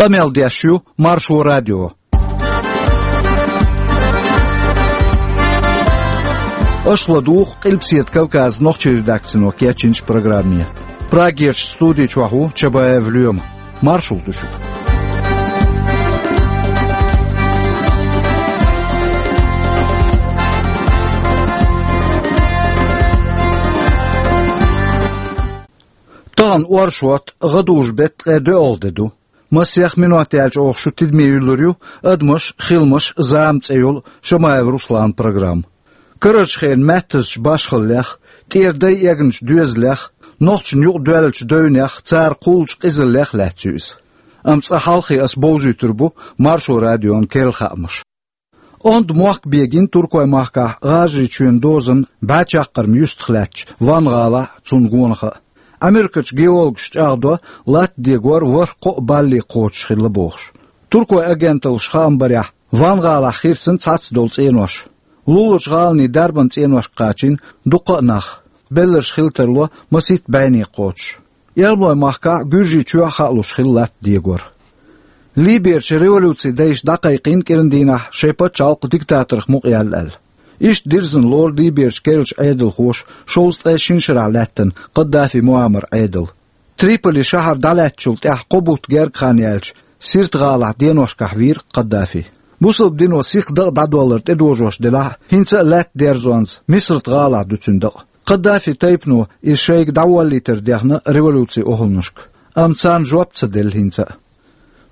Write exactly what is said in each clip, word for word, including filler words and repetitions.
Къамел деш ю Маршо радио. Аша ладугӀу Къилбаседа Кавказан нохчийн редакцино кечйинчу программе. Прагерчу студи чохь ву Чабаев Лоьма. Маршалла ду шуьга. Тахана оршот, гӀадужу беттан ткъе доьалгӀа де ду. Массех минот яьлча оха шу тидаме юьллур ю «Адамаш, хиламаш, зама» цӀе йолу Шамаев Русланан программа. Карарчу хенан маьттазчу башхаллех, тӀера дай эгначу доьзалех, нохчашна юкъа доьллачу девнех, цара кхуллучу къизаллех лаьцна ю иза. Амма цкъа хьалххе аса бовзуьйтур бу Маршо радион керла хаамаш. Онда мохк бегийна Туркойн махкахь ГӀажарийчоьнан дозанна бӀе чаккхарма юьстах лаьттачу Ван-гӀалахь а, цунна гонах а. Америкачу геологаша чӀагӀдо, латта дегор ворхӀ-кхоъ балли кхочуш хилла бохуш. Туркойн агенталлаша хаам барехь, Ван-гӀалахь хирцина цхьацца долу цӀенош. Луларчу гӀаланийн дарбан цӀеношка кхачийна дуккха а нах. Белларш хила тарло масийтта бӀене кхочуш. Эрмалойн махкахь а, Гуьржийчохь а хаалуш хилла латта дегор. Либерчу революцин дайша дӀакхайкхийна кӀиран дийнахь шайн пачхьалкх диктаторх мукъаяьлла аьлла. Иштта дирзина лору Либерчу керлачу Ӏедалхоша шовзткъе шина шарахь лаьттина Каддафи Муаммаран Ӏедал. Триполи шахьар дӀалаьцначул тӀаьхьа кхо бутт гергга хан яьлча, Сирта-гӀалахь деношкахь вийра Каддафи. Бусалба дино сиха дакъа дӀадоллар тӀедожош делахь а, хӀинца а лаьтта дерзонца Мисрат-гӀалахь ду цуьнан дакъа. Каддафин тайпано иза шайга дӀаволлийтар дехна революцин охӀланашка, амма царна жоп ца делла хӀинца а.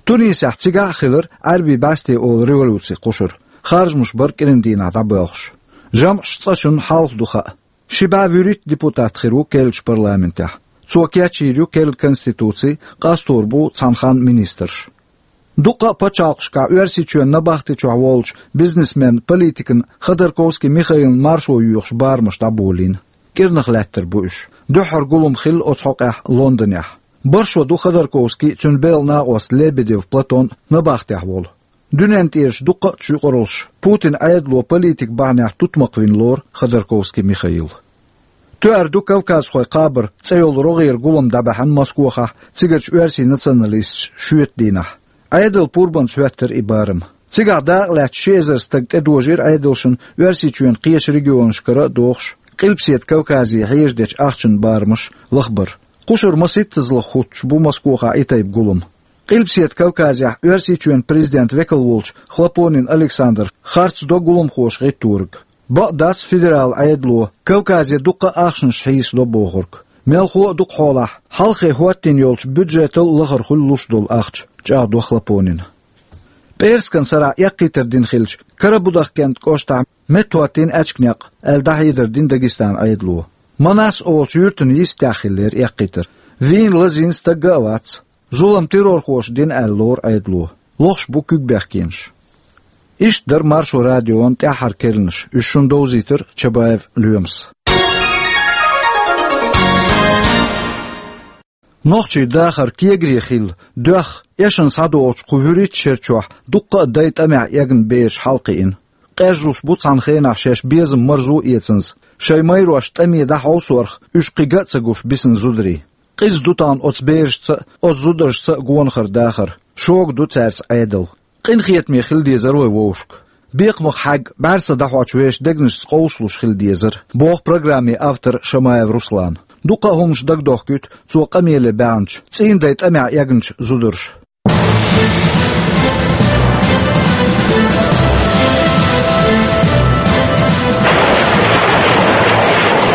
Тунисехь цигахь а хилира Ӏаьрбийн бӀаьсте олу революцин кхушар, харжамаш бара кӀиран дийнахь дӀабоьлхуш. ЖамӀаш цкъачунна хьалха ду хаа. Ши бӀе вуьрхӀитта депутат хир ву керлачу парламентехь. Цо кечйийр ю керла конституци, къастор бу цхьана ханна министрш. Дуккха а пачхьалкхашкахь Оьрсийчоьнан набахти чохь волчу бизнесменна, политикана Ходорковский Михаилна маршо йоьхуш барамаш дӀаболийна. КӀирнах лаьттар бу уьш. Дуьххьара гулам хилла оцу хьокъехь Лондонехь. БархӀ шо ду Ходорковский а, цуьнан белхан накъост Лебедев Платон а набахтехь волу. Дуьненна тӀерачу дуккха а чу юкъараллаш Путинан Ӏедало политикан бахьанехь тутмакх вина лору Ходорковский Михаил. «Тоьар ду кавказхойн кхабар» цӀе йолу рогӀера гулам дӀабаьхьна Москохахь цигарчу оьрсийн националисташа шоьтан дийнахь. Ӏедалан пурбанца хӀоьттира и барам. Цигахь дакъалаьцна ши эзар стаг тӀедожийра Ӏедалшна Оьрсийчоьнан кхечу регионашкара а дохуш, Къилбаседа Кавказе хьежа дечу ахчанан барамаш лахбар. Кхушара маситтазалла хӀуттуш бу Москохахь и тайпа гулам. Къилбаседа Кавказехь Оьрсийчоьнан президентан векал волчу Хлопонин Александра харц до гуламхоша гӀитториг. Бакъ дац федералан Ӏедало Кавказе дуккха а ахчанаш хьийсадо бохург. Мелхо а дукха хьолахь, хьалххе хӀоттийна йолчу бюджетал а лахара хуьлу луш долу ахча, чӀагӀдо Хлопонина. ПӀераскан сарахь эккхийтар дина хилча, Карабудахкент кӀоштахь меттахӀоттийна аьчка некъ, аьлла дӀахьедар дина Дагестанан Ӏедало. Манас олучу юьртана йистехь хиллера эккхийтар. Вийна, лазийна стаг а вац. Зулам террорхоша дина аьлла лору Ӏедало. Лохуш бу куьг бехкенаш. Иштта дара Маршо радион тӀаьххьара керланаш, уьш шуна довзийтира Чабаев Лоьмас. Нохчийн дахар кегаре хилла, доьхна, эшна схьадогӀучу кху вуьрхӀитта шера чохь дуккха а дай тӀамехь эгна бераш хьалакхиъна. Къежжуш бу цхьана хенахь шаьш безам марзо а эцанза, шайн майрош тӀаме дӀахьовсорх уьш кхин а ца гуш бисина зударий. Къиза ду тахана оцу берашца а, оцу зударшца а гонахара дахар. Шога ду цаьрца Ӏедал. Къинхетаме хила дезара вай вовшашка. Бекхамах хьаьгга, бӀаьрса дӀахьочу вешан дегнашца къовсалуш хила дезара, боху программин автора Шамаев Руслана. Дуккха а хӀуманаш дагадохкуьйту цо къамеле баьхначу, цӀийнан дай тӀамехь эгначу зударша.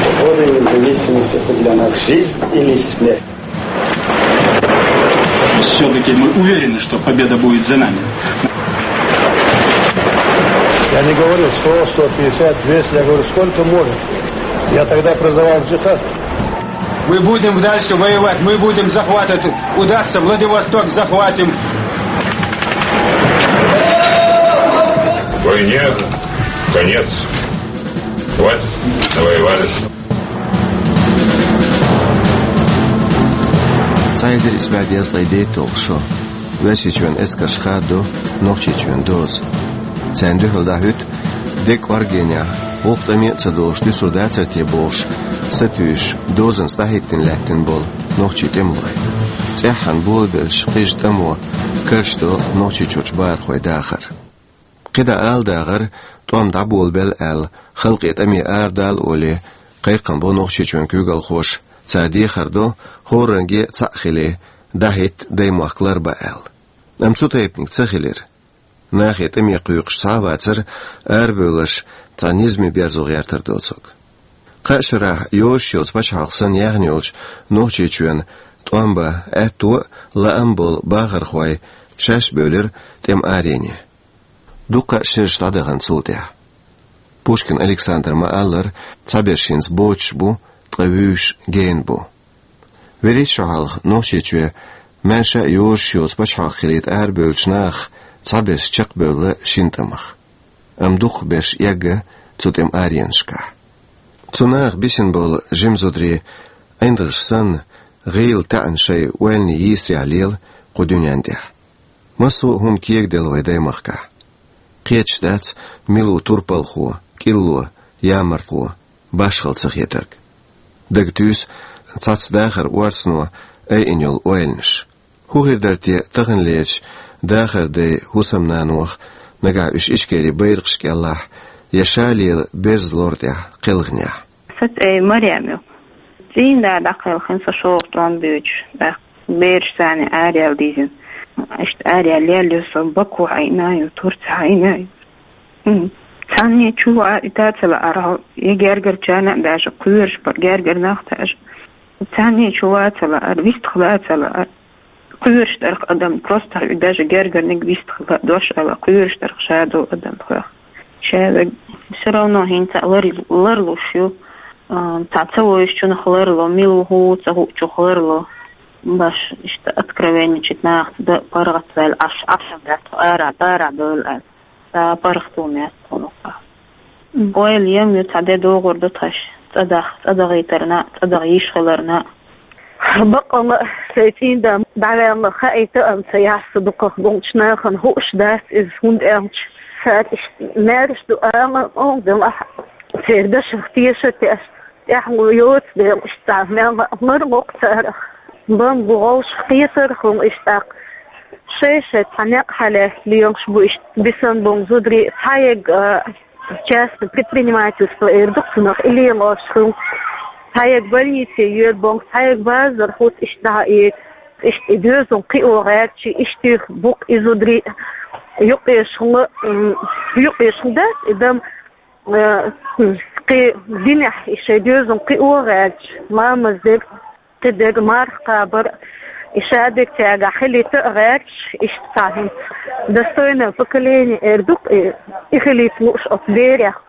Свобода и независимость — это для нас жизнь или смерть. Все-таки мы уверены, что победа будет за нами. Я не говорю сто, сто пятьдесят, двести, я говорю, сколько может. Я тогда призывал джихад. Мы будем дальше воевать, мы будем захватывать. Удастся, Владивосток захватим. Войне конец. Хватит, навоевались. Цхьа эзар исс бӀе дезткъе дейтталгӀа шо. Оьрсийчоьнан эскарша хадо Нохчийчоьнан доза. Царна дуьхьал дӀахӀуьтту дегӀ кӀоргенехь, воккха тӀаме а ца долуш дуьсур дацара те бохуш, сатуьйсуш, дозанца дӀахӀиттина лаьттина болу нохчийн тӀемалой. ЦӀеххьана болабелча кхижа тӀамо каршдо Нохчийчурчу бахархойн дахар. КхидӀа ала дагӀара, тӀом дӀаболабелла аьлла, халкъе тӀаме арадала олий, кхайкхам бо Нохчийчоьнан куьйгалхоша, цара дехар до, хӀоранге цхьаъ хилий, дӀахӀитта даймохк ларбан аьлла. Амма цу тайпаниг ца хилира. Нахе тӀаме кхойкхуш цхьа а вацара арабевлларш цхьа низаме берзо гӀертар доцург. Кхаа шарахь йозуш йоцу пачхьалкх санна яьхна йолчу Нохчийчоьнан тӀом бан аьтто а, лаам а болу бахархой шаьш а бевлира тӀеман арене. Дуккха а шераш дӀадахана цул тӀаьхьа. Пушкин Александра ма-аллара, цхьаберш хӀинца боцуш бу, ткъа вуьйш гена бу. ВуьрхӀитта шо хьалха Нохчийчоь маьрша а йозуш йоцу пачхьалкх хилийта арабевллачу нахах цхьаберш чекхбевлла шина тӀамах. Амма дукхахберш эгна цу тӀеман аренашкахь. Цу нахах бисина болу жима зударий, ӀиндагӀаш санна, гӀийла таьӀна шайн ойланийн йийсарехь лела кху дуьнен тӀехь. Массо а хӀума кегаделла вайн даймахкахь. Кхеташ дац, мила ву турпалхо, кӀилло, ямартло, башхалла ца хетарг. Дага туьйсу цхьацца дахаран орцано айина йолу ойланаш. ХӀун хир дара те таханлерчу дахаран дайн хӀусамнанох, нагахь уьш Ичкерин байракхаш кӀелахь, я ша лела берзан лор тӀехь кхелхинехь? Сан цӀе Марем ю. ЦӀийнда дӀакхелхина со шолгӀа тӀом буьйцуш, тӀаккха бераш царна араъяла дийзина. Иштта араъяла лелла ю со, Баку хьаийна ю, Турци хьаийна ю. М. Цхьанне чу ваита а ца лаьара, я гергарчарна а, даже кхоьруш бара гергара нах даже. Цхьанне чу ваца лаьара, вистхила а ца лаьара. Кхоьруш дара-кх адам, просто даже гергарниг вистхила, дош ала, кхоьруш дара-кх ша долу адам хьох. Ша вег всё равно хӀинца а лар-, ларлуш ю, а, цхьа ца вевзачунах ларло, мила ву хӀу ца хуучух ларло. Баш иштта откровенничать нахаца дан паргӀатваьлла, Ӏаш, Ӏаш дац тхо, ара, ара довла аьлла. Ца паргӀато меца тхуна. Ойла ем ю, цхьа де догӀур ду тхаьш, цӀа дах-, цӀа дахийтарна а, цӀа даха йиш хиларна а. Баккъалла а, сайн цӀийнда дӀаваьлла хаийта а ца яьхьа со дукхах болчу нахана, хууш дац иза, хӀунда аьлча цара иштта маьрша ду ала а, делахь а, церан дашах теша а тешна, тӀаьхьа йоцу дела, иштта цхьа мел а лар ло-кх царах. Бан бу гӀовшах кхетар а хуьлу иштта тӀаккха. Шай-шай цхьа некъ хьалаьцна лелаш бу иштта бисина болу зударий, цхьа егга, а, частное предпринимательство эр ду-кх цунах, и лелош хуьлу. Цхьа егга больнице йоьду боху, цхьа егга базар хӀутту иштта дӀа а эца. Иштта и доьзал кхио гӀерташ, иштта юьхь бу-кх и зударий, юкъеш хӀума, м, юкъеш хӀума дац и дам, э, кхин динехь и шайн доьзал кхио гӀерташ, ламаз дерг, кхидерг, марха кхабар, и шадерг цаьргахь хилийта а гӀерташ, иштта цхьа хӀинца достойное поколение эр ду-кх и, и хилийта лууш оцу берех.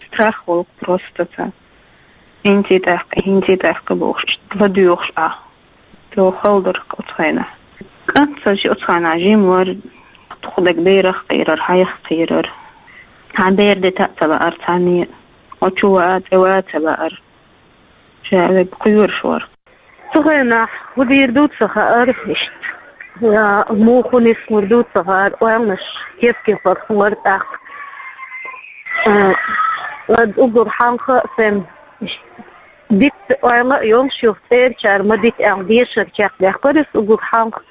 Страх волу просто цхьа. ХӀинций тӀаккха, хӀинций тӀаккха бохуш, иштта ладоьгӀуш Ӏа. Цо хала дара-кх оцу хенахь. КӀант сан ши оцу хенахь жима вара, туху дерг берах кхийрар, хьайх кхийрар. Цхьа бер дита а ца лаьара цхьанне, оцу чу ваа, цӀе ваа ца лаьара. Ша вег кхоьруш вара. Цу хенахь хӀун дийр ду ца хаьара иштта. Я муха нислур ду ца хаьара, ойланаш кеп-кепара хилар тӀаккха. А, ад уггар хьалха а сайн иштта дитта ойла а йолуш, юха цӀерачара ма дита аьлла дешар чекхдаьккхира аса уггар хьалха.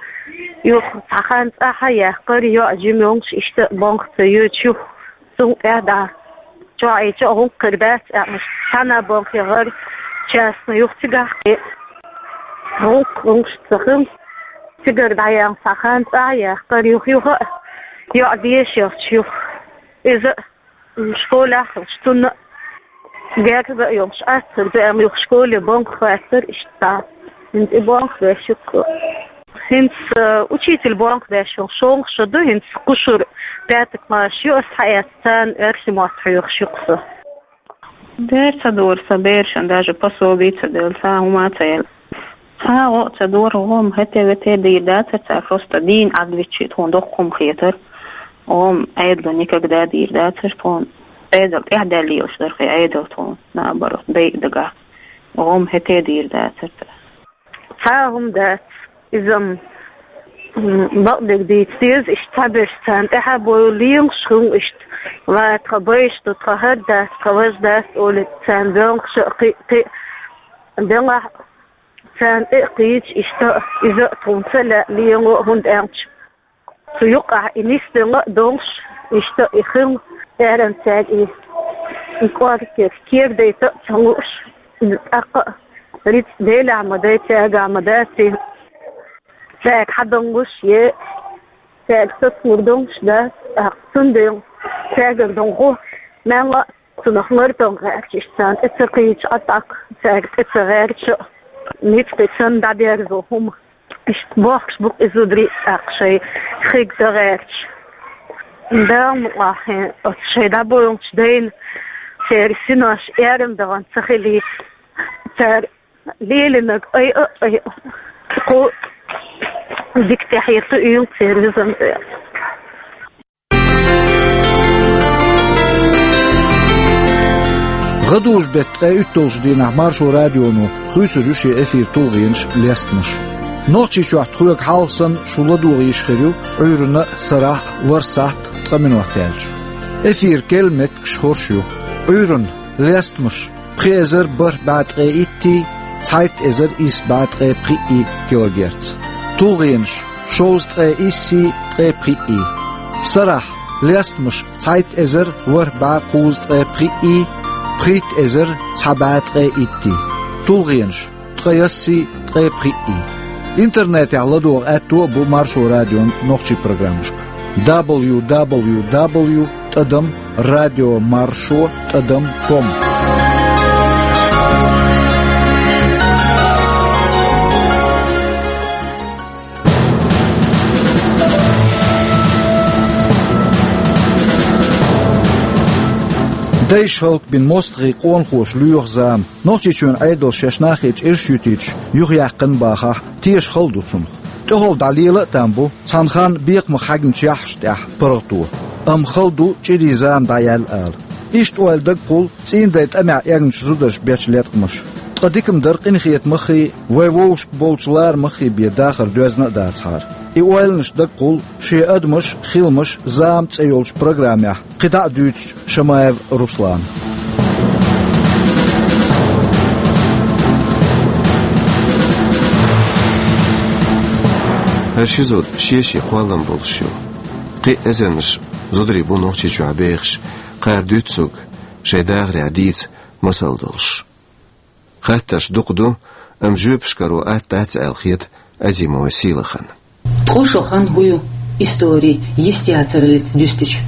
Юха цхьа хан цӀахь а яьккхира, йоӀ жима йолуш иштта а бонха ца йоьдуш юха. Цул тӀаьхьа дӀа чохь и чохь гӀуллакх хир дац аьлла, цхьана бан хи гӀара частный юха цигахь кхин гӀуллакх, гӀуллакхаш ца хилла. Цигара дӀаяьлла цхьа хан цӀа а яьккхира юха, юха а йоӀ дешарца юха. Иза школехь а хилча, цунна а герга а йолуш Ӏаццар ду аьлла, юха школе бонха хаттар иштта. ХӀинца и бонха беш ю-кх. ХӀинца, э, учитель бонх беш йолу шолгӀа шо ду, хӀинца кхушур пятый класс ю, ас хьаэцна царна оьрсийн мотт хьоьхуш ю-кх со. Дера ца дора сан берашна, даже пособи ца делла, цхьа хӀума а ца елла. Цхьа гӀо а ца дора, гӀо-м хӀете-вете дийр дацара цара, просто дийна Ӏадвиччи тхуна доккха хӀума хетара. ГӀо-м Ӏедало никогда дийр дацара тхуна. Ӏедал тӀаьхьадаьлла лелаш дара-кх и Ӏедал тхуна, наоборот, дайа дагахь. ГӀо-м хӀете дийр дацара цара. Цхьа а хӀума дац. Иза-м, м, бакъдерг дийца деза, иштта цхьаберш царна тӀаьхьа а бовла лелаш хуьлу иштта. Ва тхан байш ду, тхан хӀара дац, тхан важа дац олий, царна боьлхуш а кхин, кхин делахь а, Царна тӀе а кхийча, иштта иза а тхуна ца лаьа лело, хӀунда аьлча цу юкъахь и нисделла а долуш, иштта и хилла, аьрран цаьрга и, и кӀорггера кера дайта а ца лууш, иза тӀаккха а рицкъ Делехь ма дай, цаьргахь ма дац и, цаьрга хьадалуш е цаьрга сацалур долуш дац, тӀаккха цундела цаьргара долу гӀо мелла а цунах лар дан гӀерташ, царна тӀе ца кхийча, а тӀаккха цаьрга тӀе ца гӀерташ а, ницкъ санна дӀаберзо хӀума. Иштта бохкуш бу-кх и зударий а, тӀаккха шайн хиг дан гӀерташ. Дала мукъалахь, оцу шайн дӀабоьлхучу дайна церан синош аьрру дахана ца хилийта, цара лелийнарг айа а айа, кху дика тӀехьа туьйла церан визанца. ГӀадужу-беттан ткъе уьтталгӀачу дийнахь Маршо радионо хуьйцур ю шен эфир «ТулгӀенаш, лестамаш». Нохчийчохь тхоьга хьалха санна шу ладогӀа йиш хир ю Ӏуьйранна а, сарахь а ворхӀ сахьт ткъа минот яьлча. Эфиран керлан меттигаш хӀорш ю: Ӏуьйранна — лестамаш, пхи эзар бархӀ бӀе ткъе иттий, цхьайтта эзар исс бӀе ткъе пхиъий килогерц. ТулгӀенаш — шовзткъе иссий, ткъе пхиъий. Сарахь — лестамаш, цхьайтта эзар ворхӀ бӀе кхузткъе пхиъий, пхийтта эзар цхьа бӀе ткъе иттий. ТулгӀенаш — ткъе яссий, ткъе пхиъий. Интернетехь ладогӀа аьтто а бу Маршо радион нохчийн программашка: дабл ю дабл ю дабл ю тӀадам радио маршо тӀадам ком. Дайша хӀаллакбина мостагӀий, къонахоша лоьху зама. Нохчийчоьнан Ӏедалша шаьш нахе чӀирш юьтуьйтуш юхаяьккхина бахахь, теша хала ду цунах. ТӀехула дӀалела а там бу цхьана ханна бекхамах хьаьгначу яххьашна тӀехь паргӀато. Амма хала ду чӀирийн зама дӀаяьлла ала. Иштта ойла дага кхуллу цӀийнан дайн тӀамехь эгначу зударша бечу латкъамаша. Ткъа дика-м дара къинхетамаххий, вайн вовшашка болчу ларамаххий бен дахар доьзна а дацахьара. И ойланаш дага кхуллу «Шен адамаш, хиламаш, зама» цӀе йолчу программехь кхин дӀа а дуьйцучу Шамаев Руслана. ХӀара ши зуда шен-шен кхоллам болуш ю. Кхин а эзарнаш зударий бу Нохчийчохь бехаш, кхара дуьйцу цуьнга шайн дахарехь дийца масал долуш. Хаттарш дукха ду, амма жоьпаш каро атта дац аьлла хета Азимова Сийлахана. Ткъа шо хан хӀун ю историн йистехь яцараллица дуьстича?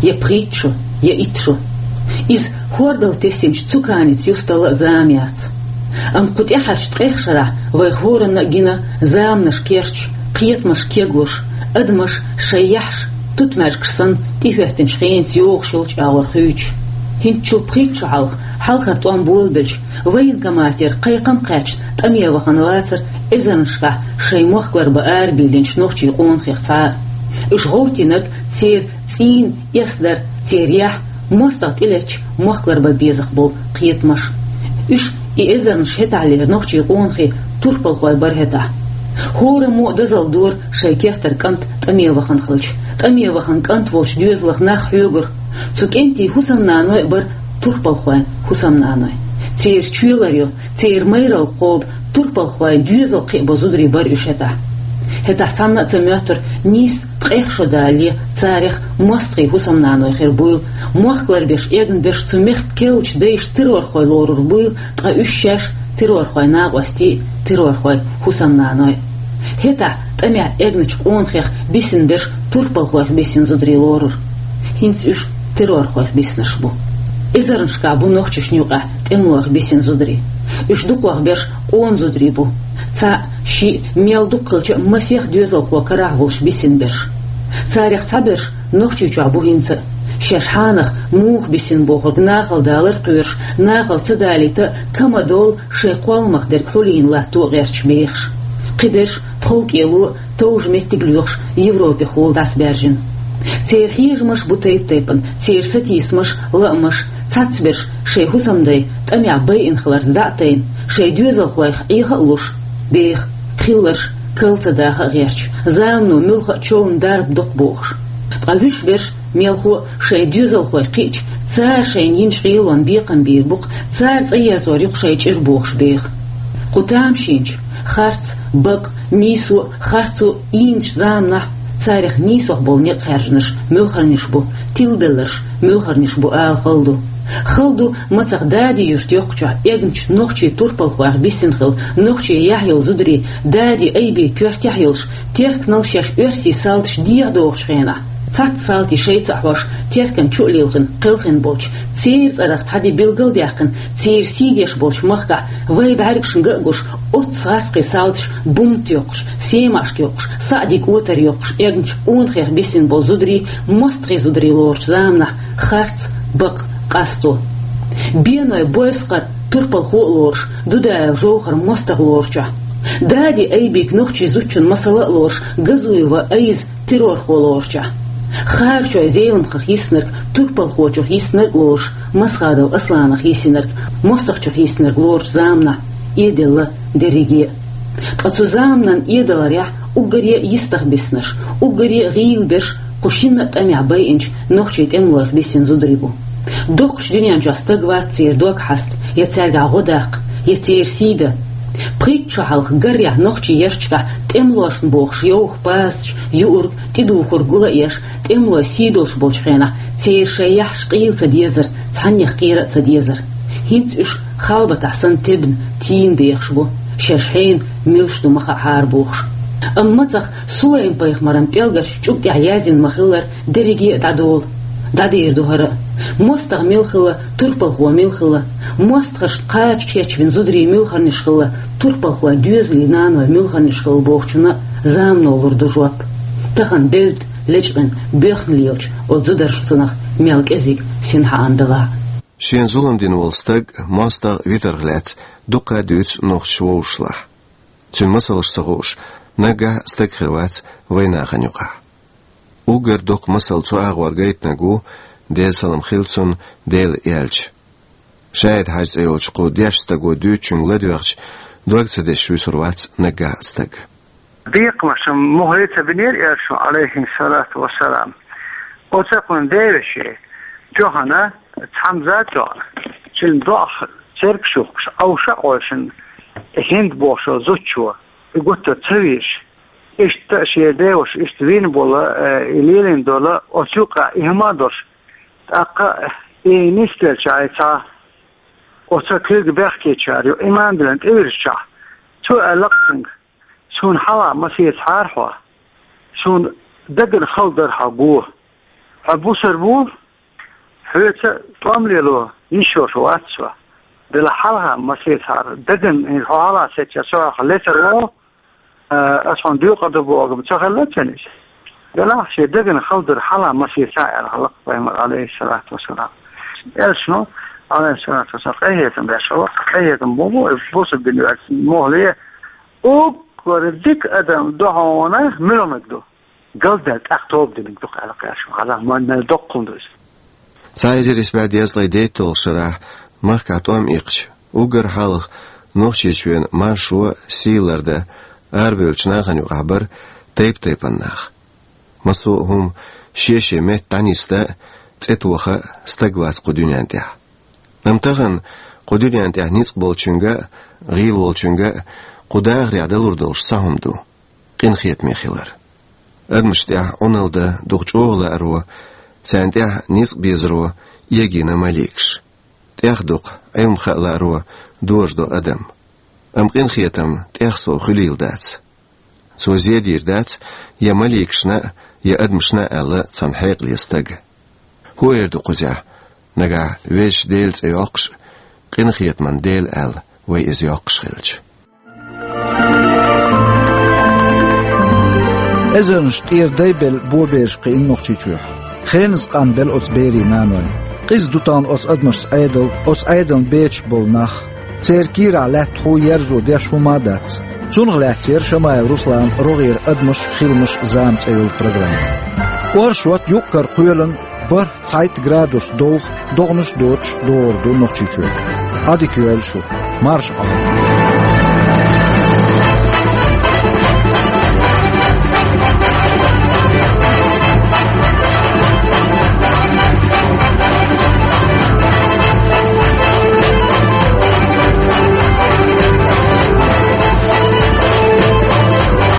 Я пхийтта шо, я итт шо. Иза хӀордал тесинчу цу каница юсталла а зама яц. Амма кху тӀаьхьарчу ткъех шарахь вайх хӀоранна а гина заманаш керчаш, кхетамаш кеглуш, адамаш шайн яххьаш тутмаьжгаш санна тӀехӀоьттинчу хенаца йогӀуш йолчу агӀор хуьйцуш. ХӀинцачул пхийтта шо хьалха, хьалхара тӀом болабелча, военкоматера кхайкхам кхаьчна тӀаме вахана вацара эзарнашкахь шайн мохк ларбан арабийлинчу нохчийн къонахех цхьа а. Уьш гӀовттийнарг церан цӀийнан эс дар, церан яхь, мостагӀа тӀелеттачу мохк ларбан безах болу кхетамаш. Уьш, и эзарнаш, хӀетахьлера нохчийн къонахий турпалхой бара хӀетахь. ХӀораммо а дозалла дора шайн кертара кӀант тӀаме вахана хилча. ТӀаме вахана кӀант волчу доьзалх нах хьоьгура. Цу кӀентийн хӀусамнаной а бара турпалхойн хӀусамнаной. Церан чоь ларйо, церан майралла кхобу турпалхойн доьзал кхиабо зударий бара уьш хӀетахь. ХӀетахь цхьанна а ца моьттура, нийсса ткъех шо далале, царех мостагӀийн хӀусамнаной хир буйла, мохк ларбеш эгна берш цу мехкан керлачу дайша террорхой лорур буйла, ткъа уьш шаьш террорхойн накъостий, террорхойн хӀусамнаной. ХӀетахь тӀамехь эгначу къонахех бисина берш турпалхойх бисина зударий лорура. ХӀинца уьш террорхойх биснарш бу. Эзарнашкахь бу нохчашна юкъахь тӀемалойх бисина зударий. Уьш дукхох берш къона зударий бу. Цхьаъ, шиъ, мел дукха хилча а масех доьзалхо карахь волуш бисина берш. Царех цхьаберш Нохчийчохь бу хӀинца а. Шаьш хьанах муха бисина бохург нахала далар а кхоьруш, нахала ца далийта а, кама долу шайн кхолламах дерг хьулийна латто а гӀерташ бехаш. Кхиберш тховкӀело а, товжа меттиг а лоьхуш, Европехула дӀасабаьржина. Церан хьежамаш бу тайп-тайпана, церан сатийсамаш, лаамаш. Цхьацберш шайн хӀусамдай тӀамехь байина хиларца дӀа а тайна, шайн доьзалхойх Ӏеха а луш, беха, хилларш кал ца даха а гӀерташ, замано муьлхха а човна дарба доккху бохуш. Ткъа вуьш берш мелхо а шайн доьзалхой кхиъча, цара шайна йинчу гӀелонна бекхам бийр бу-кх, цара цӀа ерзор ю-кх шайн чӀир бохуш беха. Кху тамашийначу, Харц, бакъ, нийсо, харцо ийначу заманахь царах нийсох болу некъ хаьржинарш муьлхарниш бу, тилабелларш муьлхарниш бу ала хала ду. Хала ду, мацах Дади-Юьртан йоккхачохь эгначу нохчийн турпалхойх биссина хилла, нохчийн яхь йолу зударий Дади-Айби коьртехь йолуш, Терканал шаьш оьрсийн салташ дехьа дохучу хенахь, цхьацца салтий шайца а хьош, Теркан чу а лилхина, кхелхина болчу, церан цӀарах цхьа де билгалдаьккхина, церан сий деш болчу махкахь, вай бӀаьргашна ган а гуш, оццу гӀаскхийн салташа бумт йоккхуш, семашка йоккхуш, саӀдиг отар йоккхуш, эгначу къонахех биссина болу зударий, мостагӀийн зударий лоручу заманахь, харц, бакъ, къасто. Беной Бойсхар турпалхо а лоруш, Дудаев Жовхар мостагӀа лоручохь. Дади-Айбик нохчийн зудчун масала а лоруш, Газуева Айза террорхо лоручохь. Харачой Зеламхах йиснарг, турпалхочух йиснарг а лоруш, Масхадов Асланах йисинарг, мостагӀчух йиснарг лоручу заманахь, эделла дерриге а. Ткъа цу заманан эдаларехь уггаре а йистах биснарш, уггаре а гӀийла берш кху шинна а тӀамехь байинчу нохчийн тӀемалойх биссина зударий бу. Доккхачу дуьнен чохь стаг вац церан дог хьаста, я цаьргахь гӀо даккха, я церан сий дан. Пхийтта шо хьалха гаррехь нохчийн ярташкахь тӀемалошна бохуш йовха пасаш, юург, тӀедухург гул а еш, тӀемалой сий долуш болчу хенахь, церан шайн яхьаш къийла ца дезара, цхьаннех кхера а ца дезара. ХӀинца уьш халбатахь санна тебна, тийна бехаш бу, шаьш хьенан муьлш ду ма хаахьара бохуш. Амма мацах Сулайм-пайхамаран пӀелгарчу чӀуг тӀехь яздина ма-хиллара, дерриге а дӀадолу, дӀадийр ду хӀара а. МостагӀа мила хилла, турпалхо мила хилла, мостагӀашна кхача кечвина зударий муьлхарниш хилла, турпалхойн доьзалийн наной муьлхарниш хилла бохучунна замано лур ду жоп. Тахана девдда лечкъина, боьхна лелачу оцу зударшцунах мел кӀезиг синхаан далахь. Шена зулам дина волу стаг мостагӀа витарх лаьцна дуккха а дуьйцу нохчаша вовшашлахь. Цуьнан масалш ца хууш, наггахь а стаг хир вац вайн нахана юкъахь. Уггар доккха масал цу агӀор гайтинарг ву, Делан салам хила цунна, Дела аьлча. ШаӀид-Хьаьжа цӀе йолчу кху дешначу стага дуьйцучуьнга ладоьгӀча, дог ца дешаш вуьсур вац наггахь а стаг. Бекхамаш мухӀе ца бинера аьлла шуна, алейхиссалату вассалам. Оцу кхуьнан девеше, тоьхна, цхьамза а тоьхна, цуьнан доӀах цергаш юхкуш, Ӏовша а Ӏовшина, хӀинда бохуш зудчо, и гуттар ца вийраш. Иштта шен деваша иштта вийна болу, э, и лелийна долу, оцу юкъа и хӀума а долуш, тӀаккха и нисделча, и цхьа оцу куьйга бехкечара ю иман диллина тӀевирзичахь, цо аьлла-кх цуьнга: «Суна хьалха ма сецахьара хьо, суна дагна хала дара хьо го. Хьо бусалба ву, хьоьца тӀом лело йиш йолуш вац со. Делахь хьалха ма сецахьара, дагна хьо хьалха сецча, со хьох лецар ву, а, ас хьуна доькъур ду бохург ца хилла цуьнан иза. Делахь шен дагна хала дара хьалха ма сецахьа», — аьлла хьалакх пайхамар, алейхиссалату вассалам. Элчано, алейхиссалату вассалам, къинхетам беш хилла, къинхетам бу, бу, бусалба дин ваьлла мохле, уггар дика адам ду хьуна муьлханиг ду. Галдаьлла тӀаккха тоба диниг ду-кх аьлла кхаьчна, хьалха ма мел доккхал ду иза. Цхьа эзар исс бӀе дезткъе дейтталгӀачу шарахь махкахь тӀом иккхича, уггар хьалха Нохчийчоьнан маршо, сий лардан арабевллачу нахана юкъахь бара тайп-тайпана нах. Массо а хӀума шен-шен метта дӀанисдан а, цӀе тоха а стаг вац кху дуьнен тӀехь. Амма тахана кху дуьнен тӀехь ницкъ болчуьнга а, гӀийла волчуьнга а кху дахарехь далур долуш цхьа хӀума ду: къинхетаме хилар. Адамашна тӀехь Ӏуналла дан дукха чӀогӀа лааро, царна тӀехь ницкъ безаро эгийна маликаш. ТӀех дукха Ӏилма хаа лааро дожадо адам. Амма къинхетам тӀех сов хуьлийла дац. Цо зе дийр дац я маликашна а, я адамашна а, аьлла цхьана хьекъале стага. ХӀун эр ду кхузехь, нагахь Везачу Делан цӀе йоккхуш а, къинхетаман Дела аьлла вай иза йоккхуш хилча? Эзарнаш тӀера дай белла бобераш кхиъна Нохчийчохь. Хеназа къанбелла оцу берийн наной. Къиза ду тахана оцу адамашца Ӏедал, оцу Ӏедална бецаш болу нах. Церан кийрахь лаьтта хӀун ерзо деш хӀума а дац. Цунах лаьцна яра Шамаев Русланан «РогӀера адамаш, хиламаш, зама» цӀе йолу программа. Оршот, юкъ-кара кхоьлина, бархӀ, цхьайтта градус довха, догӀанаш а доцуш догӀур ду Нохчийчохь. Ӏадика йойла шу, марша Ӏойла.